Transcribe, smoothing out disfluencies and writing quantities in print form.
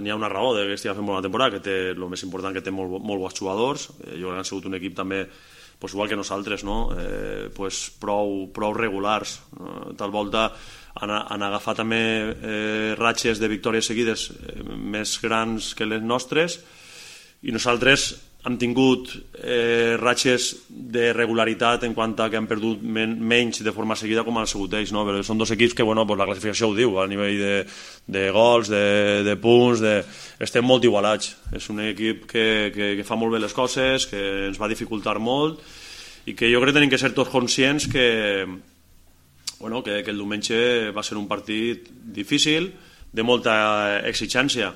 n'hi ha una raó de que estigui fent bona temporada, que té el més important, que té molt bons jugadors. Jo crec que han sigut un equip també, pues, igual que nosaltres, no? Pues, prou regulars. Tal volta han agafat també ratxes de victòries seguides més grans que les nostres, i nosaltres hem tingut ratxes de regularitat en quant a que han perdut menys de forma seguida com han sigut ells, no? Però són dos equips que, bueno, pues la classificació ho diu, a nivell de gols, de punts, estem molt igualats. És un equip que fa molt bé les coses, que ens va dificultar molt, i que jo crec que tenim que ser tots conscients que el diumenge va ser un partit difícil, de molta exigència,